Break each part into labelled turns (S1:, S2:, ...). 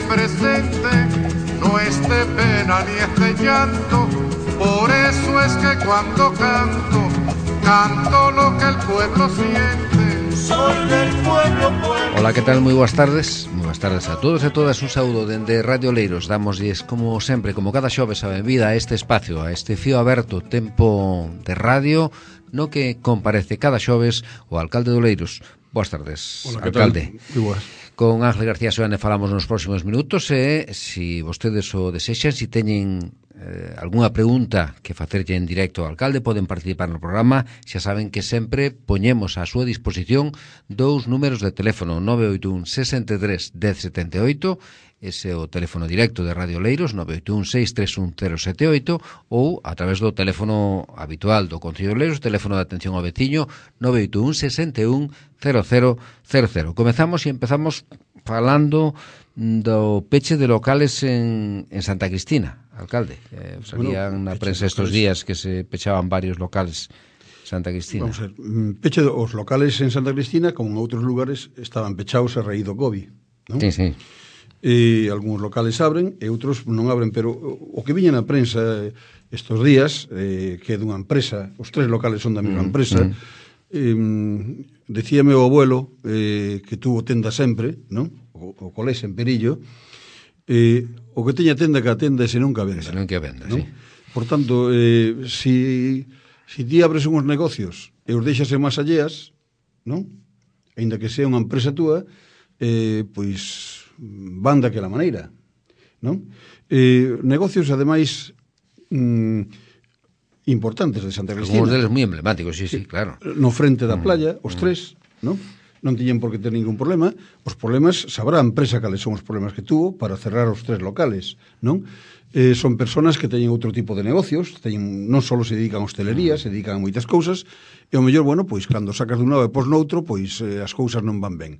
S1: presente, no es de pena ni es de llanto. Por eso es que cuando canto, canto lo que el pueblo siente. Soy del pueblo, pueblo.
S2: Hola, que tal? Moi boas tardes. Moi boas tardes a todos e todas. Un saúdo dende Radio Oleiros. Damosles, como sempre, como cada xoves, a benvida a este espacio, a este fío aberto tempo de radio, no que comparece cada xoves o alcalde de Oleiros. Boas tardes,
S3: hola,
S2: alcalde.
S3: Moi boas.
S2: Con Ángel García Soane falamos nos próximos minutos e, se vostedes o desexan, se teñen algunha pregunta que facerlle en directo ao alcalde, poden participar no programa. Xa saben que sempre poñemos á súa disposición dous números de teléfono, 981 63 1078, ese é o teléfono directo de Radio Oleiros, 981 631 078, ou a través do teléfono habitual do Concello de Oleiros, teléfono de atención ao veciño, 981 61 0000. Comezamos e empezamos falando do peche de locales en Santa Cristina, alcalde. Salían na prensa estes días que se pechaban varios locales en Santa Cristina.
S3: Vamos a ver, peche os locales en Santa Cristina, como en outros lugares, estaban pechados a raíz do COVID, non?
S2: Sí, sí.
S3: E algúns locales abren e outros non abren, pero o que viña na prensa estes días, que é dunha empresa, os tres locales son da mesma empresa, decíame o abuelo que tuvo tenda sempre, non? O colés en Perillo, o que teña tenda que a tenda e se non que a venda.
S2: Se non que a venda,
S3: non?
S2: sí.
S3: Por tanto, si ti abres uns negocios e os deixas en más alleas, non? Ainda que sea unha empresa túa, pois van daquela maneira, non? Negocios, ademais, importantes de Santa Cristina.
S2: Algunos deles moi emblemáticos, sí, sí, claro.
S3: No frente da playa, os tres, non? Non tiñen por que ter ningún problema. Os problemas, sabrá a empresa cales son os problemas que tuvo para cerrar os tres locales, non? Son personas que teñen outro tipo de negocios, non só se dedican a hostelería, se dedican a moitas cousas, e ao mellor, bueno, pois cando sacas dun lado e pos noutro, pois as cousas non van ben.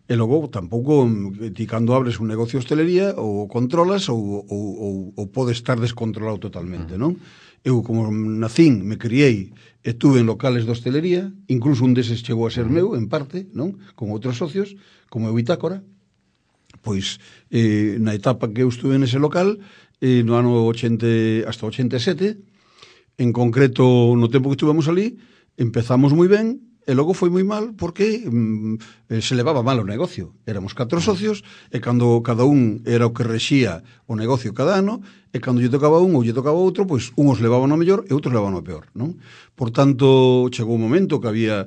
S3: E logo, tampouco, ti cando abres un negocio de hostelería, ou controlas ou podes estar descontrolado totalmente, non? Eu, como nacín, me criei e estuve en locales de hostelería, incluso un deses chegou a ser meu, en parte, non? Con outros socios, como eu Bitácora. Pois, na etapa que eu estuve nese local, no ano 80 hasta 87, en concreto, no tempo que estuvemos ali, empezamos moi ben, e logo foi moi mal porque se levaba mal o negocio. Éramos 4 socios e cando cada un era o que rexía o negocio cada ano, e cando lle tocaba un ou lle tocaba outro, pois unhos levaban o mellor e outros levaban o peor, non? Por tanto, chegou un momento que había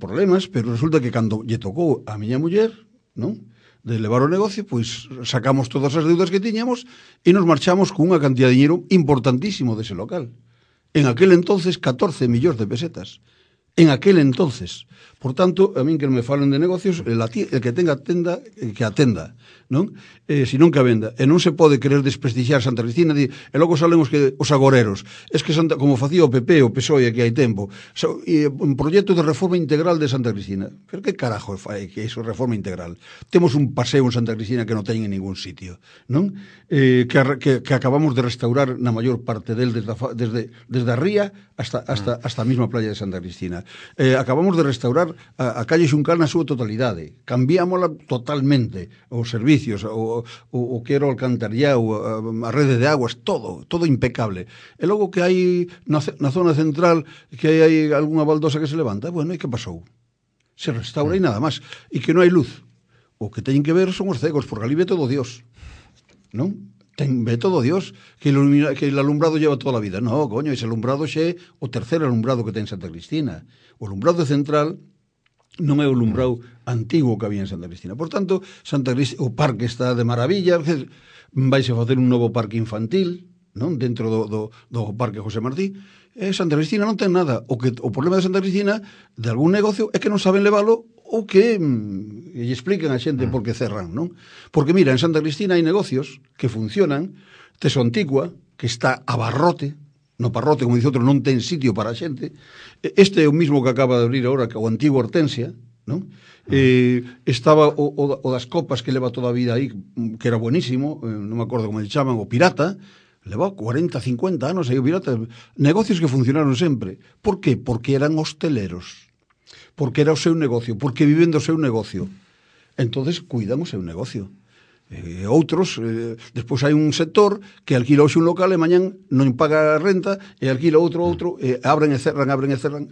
S3: problemas, pero resulta que cando lle tocou a miña muller, non? De levar o negocio, pois sacamos todas as deudas que tiñamos e nos marchamos con unha cantidad de dinheiro importantísimo dese local. En aquel entonces, 14 millóns de pesetas. En aquel entonces. Por tanto, a min que me falen de negocios, el que tenga tenda, que atenda, non? Se non que a venda. E non se pode querer desprestixiar Santa Cristina, e logo salen os agoreros. Es que como facía o PP, o PSOE, aquí hai tempo, un proxecto de reforma integral de Santa Cristina. Pero que carajo fai que iso reforma integral? Temos un paseo en Santa Cristina que non ten en ningún sitio, non? Que acabamos de restaurar na maior parte del desde a ría hasta a mesma playa de Santa Cristina. Acabamos de restaurar a calle Xuncal na súa totalidade. Cambiámola totalmente. Os servicios, o que era o alcantarillado, a rede de aguas, todo impecable. E logo que hai na zona central, que hai algunha baldosa que se levanta, bueno, e que pasou? Se restaura e nada máis. E que non hai luz. O que teñen que ver son os cegos, porque ali ve todo Dios. Non? Ve todo Dios, que el alumbrado lleva toda a vida. No, coño, ese alumbrado xe o terceiro alumbrado que ten Santa Cristina. O alumbrado central non é o alumbrado antigo que había en Santa Cristina. Por tanto, o parque está de maravilla, vaise a facer un novo parque infantil, non? Dentro do parque José Martí. Santa Cristina non ten nada. O problema de Santa Cristina, de algún negocio, é que non saben levalo ou que lle expliquen a xente por que cerran, non? Porque, mira, en Santa Cristina hai negocios que funcionan, Teso Antigua, que está a barrote, no parrote, como dice outro, non ten sitio para a xente. Este é o mismo que acaba de abrir agora, o antigo Hortensia, non? Estaba o das copas que leva toda a vida aí, que era buenísimo, non me acordo como se chaman, o Pirata, leva 40, 50 anos aí o Pirata. Negocios que funcionaron sempre. Por qué? Porque eran hosteleros. Porque era o seu negocio, porque viven do seu negocio. Entonces cuidan o seu negocio. outros, despois hai un sector que alquila hoxe un local e mañán non paga a renta e alquila outro, abren e cerran,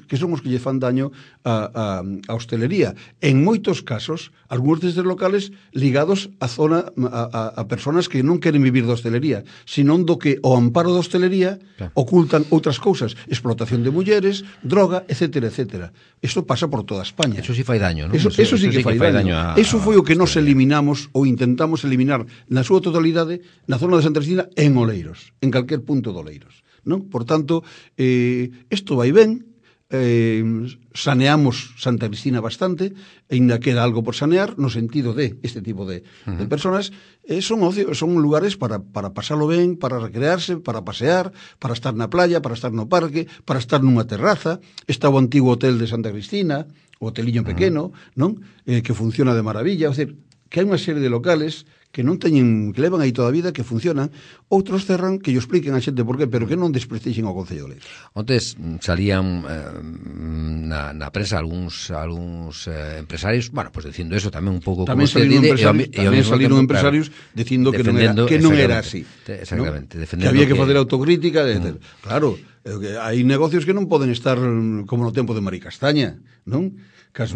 S3: que son os que lle fan daño a hostelería. En moitos casos, algúns destes locales ligados a zona a personas que non queren vivir da hostelería, sino do que o amparo da hostelería ocultan outras cousas, explotación de mulleres, droga, etcétera, etcétera. Isto pasa por toda España.
S2: Eso sí fai daño, non?
S3: Eso sí que fai daño. Eso foi o que nos eliminamos ou intentamos eliminar na súa totalidade na zona de Santa Cristina en Oleiros, en calquer punto de Oleiros, non? Por tanto, isto vai ben, saneamos Santa Cristina bastante, e ainda queda algo por sanear no sentido de este tipo de personas, son lugares para pasalo ben, para recrearse, para pasear, para estar na playa, para estar no parque, para estar nunha terraza. Está o antigo hotel de Santa Cristina, o hoteliño pequeno, non? Que funciona de maravilla, é dicir, que hai unha serie de locales que non teñen, que levan aí toda a vida, que funcionan, outros cerran, que yo expliquen a xente por qué, pero que non desprestixen ao Concello de Oleiros.
S2: Ontes salían na prensa algúns empresarios, bueno, pues dicindo eso tamén un pouco
S3: tamén
S2: como
S3: saliron empresarios dicindo que non era así.
S2: Exactamente,
S3: ¿no? Que había que facer autocrítica, claro, hai negocios que non poden estar como no tempo de Mari Castaña, non? Cas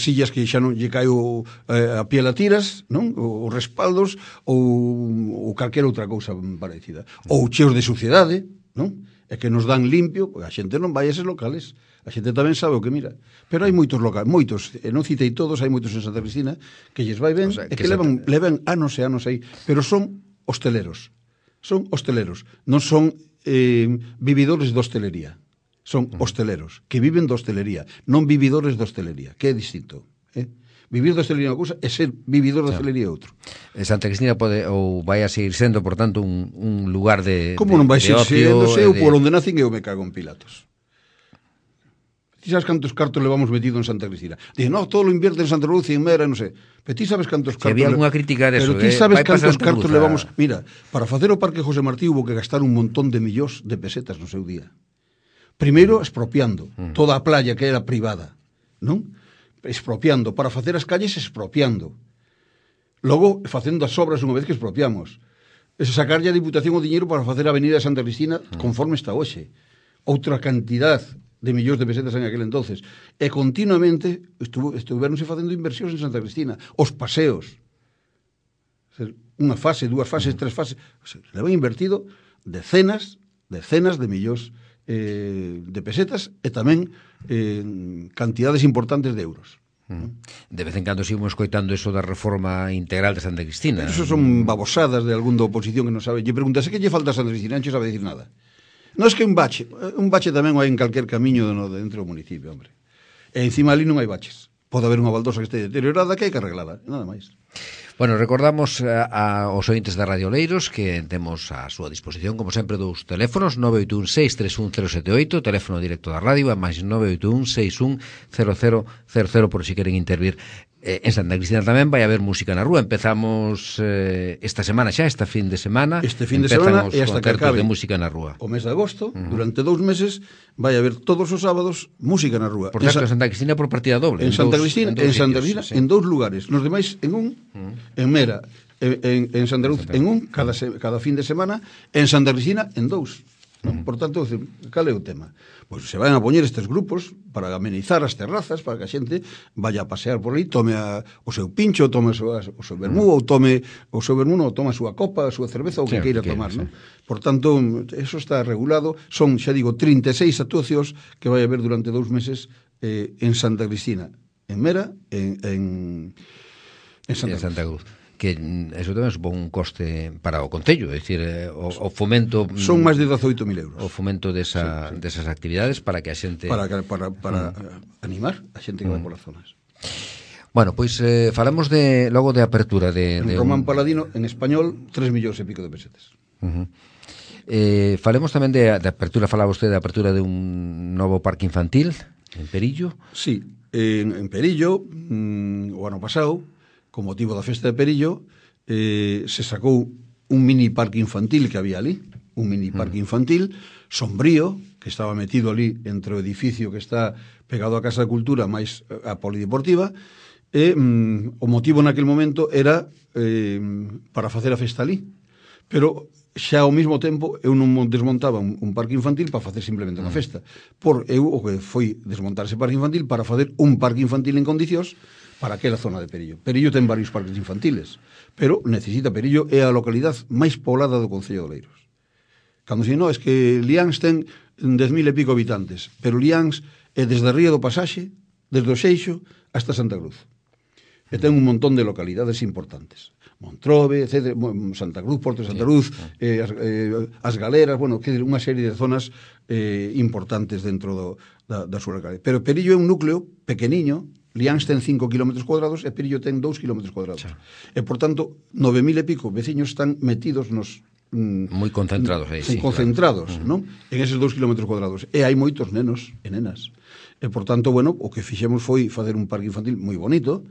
S3: sillas que xa non lle caio a piel a tiras, non? Os respaldos ou calquera outra cousa parecida. Ou cheos de suciedade, non? E que nos dan limpio, a xente non vai a eses locales. A xente tamén sabe o que mira. Pero hai moitos locales, moitos, non citei todos, hai moitos en Santa Cristina que lles vai ben, o sea, e que levan anos e anos aí, pero son hosteleros. Son hosteleros, non son vividores de hostelería. Son hosteleros, que viven de hostelería, non vividores de hostelería, que é distinto. Vivir de hostelería é unha cousa e ser vividor de hostelería é outro.
S2: Santa Cristina pode ou vai a seguir sendo, por tanto, un lugar de
S3: como non vai seguir sendo, eu por onde nacen eu me cago en Pilatos. Ti sabes cantos cartos levamos metido en Santa Cristina? Dice, no, todo lo invierte en Santa Cruz y en Mera, non sei. Pero ti sabes cantos cartos...
S2: Había algunha crítica de eso,
S3: pero ti sabes cantos cartos levamos... Mira, para facer o Parque José Martí hubo que gastar un montón de millóns de pesetas no seu día. Primeiro, expropiando toda a playa que era privada, non? Expropiando. Para facer as calles, expropiando. Logo, facendo as obras unha vez que expropiamos. Sacarlle a Diputación o diñeiro para facer a Avenida de Santa Cristina conforme está hoxe. Outra cantidad de millóns de pesetas en aquel entonces. E continuamente estuveronse facendo inversións en Santa Cristina. Os paseos. Unha fase, dúas fases, tres fases. Levan invertido decenas de millóns de pesetas e tamén cantidades importantes de euros.
S2: De vez en cando seguimos coitando eso da reforma integral de Santa Cristina.
S3: Eso son babosadas de algún da oposición que non sabe. Lle preguntase que lle falta a Santa Cristina, non sabe decir nada. Non é que un bache tamén hai en calquer camiño dentro do municipio, hombre. E encima ali non hai baches. Pode haber unha baldosa que este deteriorada que hai que arreglada, nada máis.
S2: Bueno, recordamos aos ointes da Radio Oleiros que temos a súa disposición, como sempre, dous teléfonos, 981-631-078, teléfono directo da radio, e máis 981-61-0000, por si queren intervir. En Santa Cristina tamén vai haber música na rúa. Empezamos esta semana xa, esta fin de semana.
S3: Este fin de semana e hasta que acabe
S2: de música na rúa.
S3: O mes de agosto, durante 2 meses, vai haber todos os sábados música na rúa.
S2: Por certo, en Santa Cristina por partida doble.
S3: En Santa Cristina, en 2 lugares. Nos demais en un, en Mera, en Santa Cruz, en un, cada fin de semana, en Santa Cristina, en 2. Por tanto, cal é o tema? Pois se van a poñer estes grupos para amenizar as terrazas, para que a xente vaya a pasear por aí, tome o seu pincho, tome o seu vermú, ou tome o seu vermú, ou tome a súa copa, a súa cerveza, o que queira tomar, non? Por tanto, eso está regulado. Son, xa digo, 36 actuacións que vai haber durante 2 meses en Santa Cristina, en Mera, en
S2: Santa Cruz. Que eso tamén supón un coste para o Concello, é dicir, o fomento...
S3: Son máis de 18.000 euros.
S2: O fomento desas actividades para que a xente...
S3: Para animar a xente que vai polas zonas.
S2: Bueno, pois falamos logo de apertura de
S3: Román Paladino, en español, 3 millóns e pico de pesetas.
S2: Falemos tamén de apertura, falaba usted de apertura de un novo parque infantil en Perillo.
S3: Sí, en Perillo, o ano pasado, con motivo da festa de Perillo, se sacou un mini parque infantil que había ali, un mini parque infantil sombrío, que estaba metido ali entre o edificio que está pegado á Casa de Cultura máis a Polideportiva, e o motivo naquel momento era para facer a festa ali, pero xa ao mesmo tempo eu non desmontaba un parque infantil para facer simplemente unha festa. Eu o que foi desmontar ese parque infantil para facer un parque infantil en condicións para aquela zona de Perillo. Perillo ten varios parques infantiles, pero necesita Perillo é a localidade máis poblada do Concello de Oleiros. Cando se non, é que Liáns ten 10.000 e pico habitantes, pero Liáns é desde a Ría do Pasaxe, desde o Seixo hasta Santa Cruz. E ten un montón de localidades importantes. Montrobe, etc., Santa Cruz, Porto de Santa Cruz, as Galeras, bueno, unha serie de zonas importantes dentro da súa localidade. Pero Perillo é un núcleo pequeniño, Liáns ten 5 km cuadrados e Perillo ten 2 km cuadrados. E, por tanto, 9.000 e pico veciños están metidos nos
S2: moi concentrados aí, sí,
S3: concentrados,
S2: claro.
S3: Non? En eses 2 km cuadrados. E hai moitos nenos e nenas. E, por tanto, bueno, o que fixemos foi facer un parque infantil moi bonito.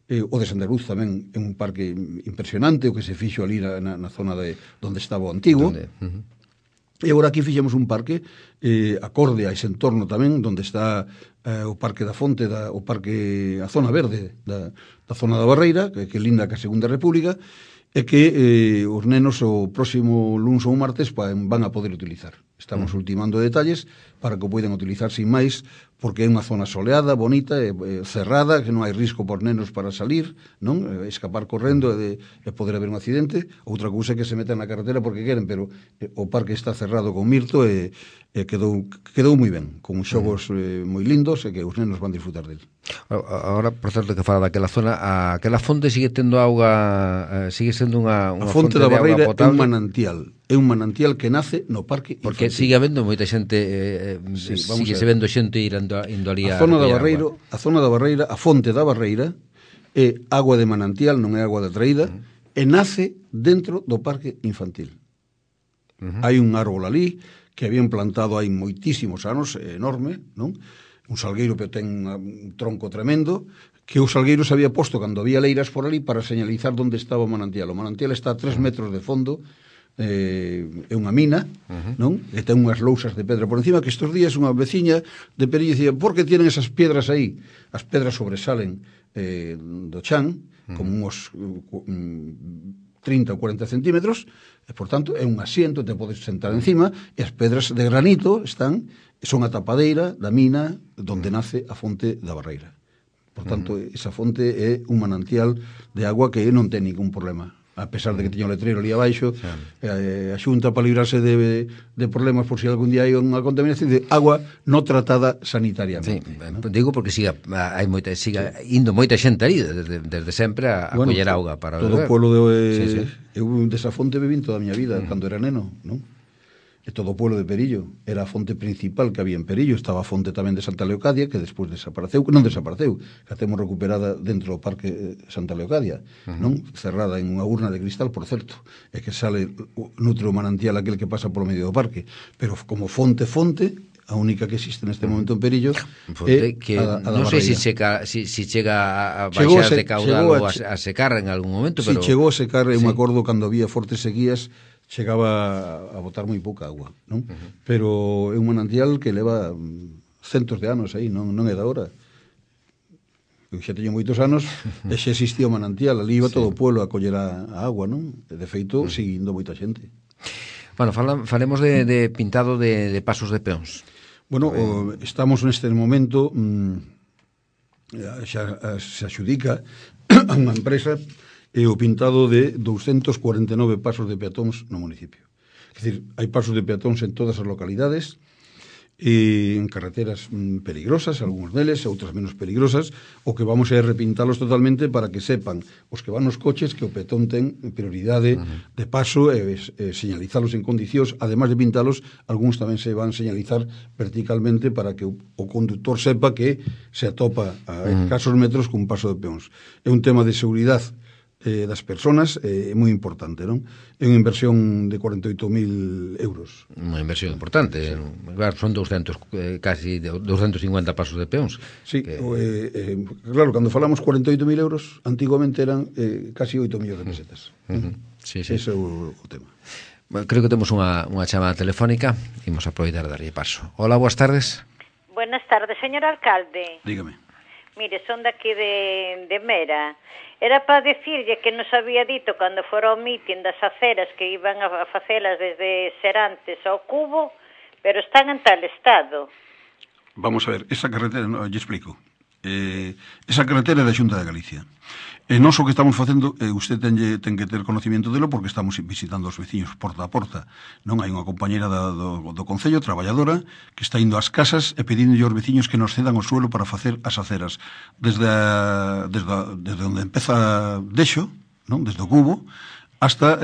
S3: O de Santa Cruz tamén é un parque impresionante, o que se fixo ali na zona de onde estaba o antigo. E agora aquí fixemos un parque acorde a ese entorno tamén, onde está o Parque da Fonte, o parque, a zona verde da zona da Barreira, que linda ca Segunda República, e que os nenos o próximo luns ou martes van a poder utilizar. Estamos ultimando detalles para que o poidan utilizar sin máis, porque é unha zona soleada, bonita, cerrada, que non hai risco por nenos para salir, non? Escapar correndo e poder haber un accidente. Outra cousa é que se metan na carretera porque queren, pero o parque está cerrado con mirto e quedou moi ben, con xogos moi lindos e que os nenos van disfrutar del.
S2: Agora, por certo, que fala daquela zona, aquela fonte sigue tendo auga, sigue sendo unha fonte
S3: da
S2: de auga
S3: Barreira
S2: potable?
S3: É un manantial que nace no parque infantil.
S2: Porque sigue habendo moita xente, sigue se vendo xente indo ali
S3: a zona da Barreira, a zona da Barreira, a fonte da Barreira é agua de manantial, non é agua de traída, e nace dentro do parque infantil. Hai un árbol ali que habían plantado hai moitísimos anos, enorme, non? Un salgueiro que ten un tronco tremendo, que o salgueiro se había posto cando había leiras por ali para señalizar onde estaba o manantial. O manantial está a 3 metros de fondo, é unha mina, non? E ten unhas lousas de pedra por encima, que estes días unha veciña de Perillo dicía, por que tienen esas piedras aí? As pedras sobresalen do chan, como uns 30 ou 40 centímetros, e, por tanto, é un asiento, te podes sentar encima, e as pedras de granito son a tapadeira da mina onde nace a fonte da Barreira. Por tanto, esa fonte é un manantial de agua que non ten ningún problema. A pesar de que teña o letreiro ali abaixo, a Xunta, para librarse de problemas por si algún día hai unha contaminación, de agua non tratada sanitariamente.
S2: Sí, ¿no? Digo porque siga indo moita xente ali desde sempre a coller auga para
S3: todo
S2: beber.
S3: O pueblo eu desa fonte bebín toda a miña vida, cando era neno, non? E todo o pueblo de Perillo era a fonte principal que había en Perillo. Estaba a fonte tamén de Santa Leocadia, que despois desapareceu, non desapareceu, que a temos recuperada dentro do parque Santa Leocadia, non? Cerrada en unha urna de cristal, por certo, e que sale nutre o manantial aquel que pasa polo medio do parque, pero como fonte, a única que existe neste momento en Perillo é
S2: que
S3: non
S2: sei se chega a baixar de caudal ou a secar en algún momento, pero
S3: chegou a secar, eu me acordo cando había fortes sequías, chegaba a botar moi pouca agua, non? Pero é un manantial que leva centos de anos aí, non é da hora. Eu xa teño moitos anos e xa existía o manantial, ali iba todo o pueblo a coller a agua, non? E, de feito, seguindo moita xente.
S2: Bueno, falemos de pintado de pasos de peóns.
S3: Bueno, estamos neste momento, xa se axudica a unha empresa o pintado de 249 pasos de peatóns no municipio. É dicir, hai pasos de peatóns en todas as localidades, en carreteras peligrosas, algúns deles, outras menos peligrosas. O que vamos é repintalos totalmente para que sepan os que van nos coches que o peatón ten prioridade de paso e señalizalos en condicións. Ademais de pintalos, algúns tamén se van señalizar verticalmente para que o conductor sepa que se atopa a escasos metros cun paso de peóns. É un tema de seguridade das persoas é moi importante, non? É unha inversión de 48.000 euros.
S2: Unha inversión importante, sí. Claro, son 200, casi 250 pasos de peóns.
S3: Sí, claro, cando falamos 48.000 euros, antiguamente eran casi 8 millóns de pesetas.
S2: Sí.
S3: Ese é o tema.
S2: Bueno, creo que temos unha chamada telefónica, imos aproveitar de darlle paso. Hola, boas tardes.
S4: Buenas tardes, señor alcalde.
S3: Dígame.
S4: Mire, son daqui de Mera. Era para decirlle que nos había dito cando fora o mitin das aceras que iban a facelas desde Serantes ao Cubo, pero están en tal estado.
S3: Vamos a ver, esa carretera, no, lle explico. Esa carretera é da Xunta de Galicia. E nós o que estamos facendo, usted ten que ter conocimiento delo porque estamos visitando os veciños porta a porta. Non hai unha compañera do Concello, traballadora, que está indo ás casas e pedindo aos veciños que nos cedan o suelo para facer as aceras. Desde onde empeza Deixo, non? Desde o Cubo, hasta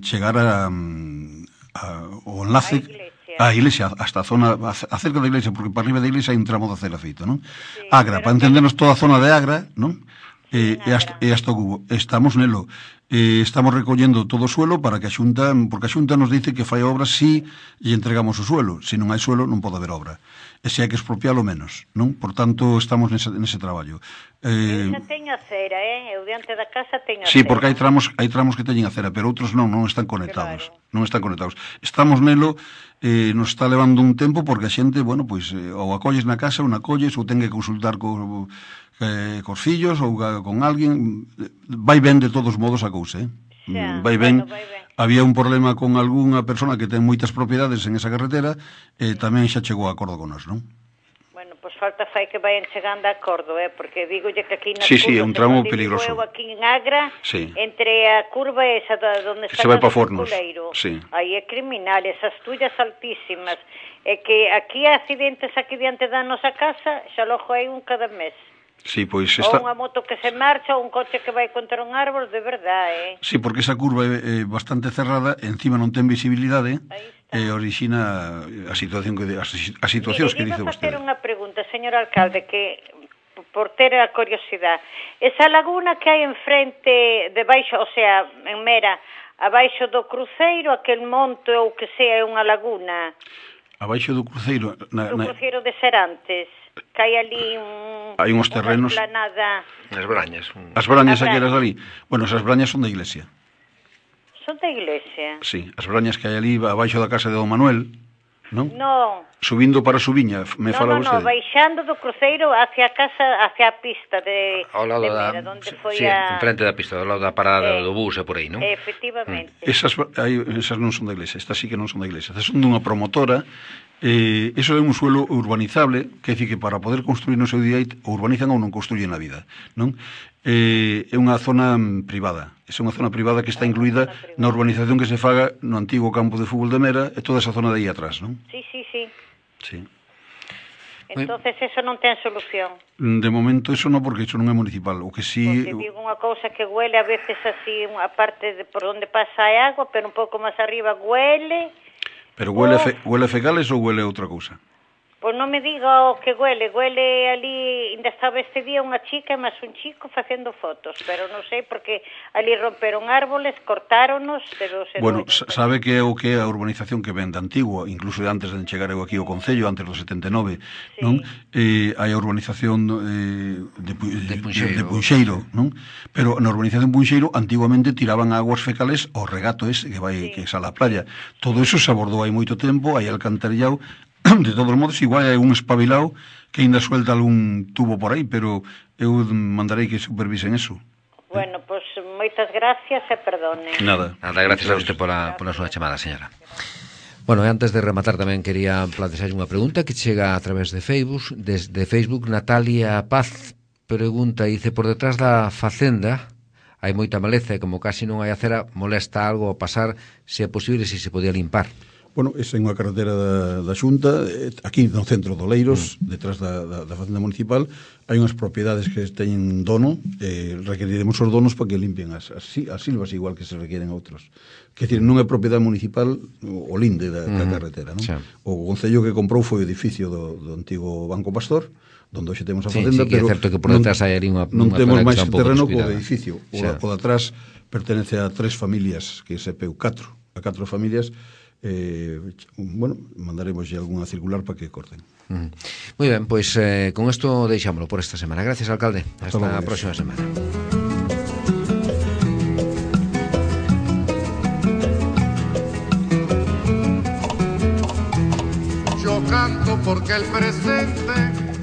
S3: chegar o enlace a iglesia, hasta a zona, acerca da iglesia, porque para arriba da iglesia hai un tramo de acera feito, non? Sí, Agra, para entendernos toda a zona de Agra, non? E hasta o Cubo. Estamos nelo. Estamos recollendo todo o suelo para que a Xunta, porque a Xunta nos dice que fai obras si lle entregamos o suelo. Se non hai suelo, non pode haber obra. E se hai que expropialo menos, non? Por tanto, estamos nese traballo.
S4: Eu xa teño acera, Eu diante da casa teño acera.
S3: Sí, porque hai tramos que teñen acera, pero outros non están conectados. Claro. Non están conectados. Estamos nelo, nos está levando un tempo porque a xente, bueno, pois, ou acolles na casa, ou non acolles, ou ten que consultar cos fillos ou con alguén. Vai ben de todos modos a cousa, vai ben. Bueno, vai ben. Había un problema con algunha persona que ten moitas propiedades en esa carretera e tamén xa chegou a acordo con nós, non?
S4: Bueno, pois falta fai que vayan chegando a acordo, porque digolle que aquí na
S3: curva... Sí, é un tramo peligroso.
S4: Eu aquí en Agra, entre a curva esa onde está
S3: o circuleiro,
S4: aí é criminal, esas tullas altísimas, e que aquí accidentes aquí diante da nosa casa, xa logo hai un cada mes.
S3: Sí, pois
S4: ou unha moto que se marcha, ou un coche que vai contra un árbol, de verdade,
S3: Sí, porque esa curva é bastante cerrada, encima non ten visibilidade, e orixina a situacións que dice vostede.
S4: Facer unha pregunta, señor alcalde, que por ter a curiosidade. Esa laguna que hai enfrente, debaixo, o sea, en Mera, abaixo do cruceiro, aquel monte ou que sea é unha laguna.
S3: Abaixo do cruceiro...
S4: O cruceiro de Serantes, que hai ali
S3: hai uns terrenos...
S2: As brañas.
S3: As brañas aquelas ali. Bueno, esas brañas son da iglesia.
S4: Son da iglesia?
S3: Sí, as brañas que hai ali abaixo da casa de Don Manuel, non?
S4: Non.
S3: Subindo para a Subiña, fala vostede.
S4: Non, baixando do cruceiro hacia a casa, hacia a pista de Mera, onde foi
S2: enfrente da pista, ao lado da parada do bus e por aí, non?
S4: Efectivamente.
S3: Esas non son da iglesia, estas sí que non son da iglesia. Estas son dunha promotora. Eso é un suelo urbanizable, que é dicir que para poder construir no seu día o urbanizan ou non construyen na vida, non? É unha zona privada. É unha zona privada que está incluída na urbanización que se faga no antigo campo de fútbol de Mera e toda esa zona de aí atrás, non?
S4: Sí. Entonces eso non ten solución.
S3: De momento eso non, porque eso non é municipal. O que sí...
S4: Porque digo unha cousa que huele a veces así, a parte de por onde pasa a agua, pero un pouco máis arriba huele...
S3: Pero huele fecales ou huele outra cousa?
S4: Pois non me diga o que huele ali, ainda estaba este día unha chica e máis un chico facendo fotos, pero non sei porque ali romperon árboles, cortáronos, pero...
S3: Bueno, sabe que é o que é a urbanización que ven de antigua, incluso de antes de chegar eu aquí ao Concello, antes do 79, non? Hai a urbanización de Punxeiro, non? Pero na urbanización Punxeiro, antiguamente tiraban aguas fecales ao regato ese que sale á playa. Todo eso se abordou hai moito tempo, hai alcantarillado. De todos modos, igual hai un espabilado que ainda suelta algún tubo por aí, pero eu mandarei que supervisen eso.
S4: Bueno, pois moitas gracias e perdone.
S3: Nada,
S2: gracias a usted pola súa chamada, señora. Bueno, e antes de rematar tamén quería plantear unha pregunta que chega a través de Facebook. Desde Facebook, Natalia Paz pregunta, dice, por detrás da facenda hai moita maleza e como casi non hai acera, molesta algo ao pasar, se é posible, se podía limpar.
S3: Bueno, esa é unha carretera da Xunta, aquí no centro do Leiros, detrás da facenda municipal, hai unhas propiedades que teñen dono, requeriremos os donos para que limpien as silvas, igual que se requieren outros. Quer dizer, non é propiedade municipal o linde da carretera, non? O Concello que comprou foi o edificio do antigo Banco Pastor, onde hoxe temos a facenda,
S2: pero é certo que por detrás hai ali
S3: non temos máis terreno co edificio. O de atrás pertenece a 3 familias, que sepeu 4 familias. Bueno, mandaremos algunha circular para que corten.
S2: Moi ben, pois con isto deixámoslo por esta semana. Gracias, alcalde. Hasta a próxima semana.
S1: Yo canto porque el presente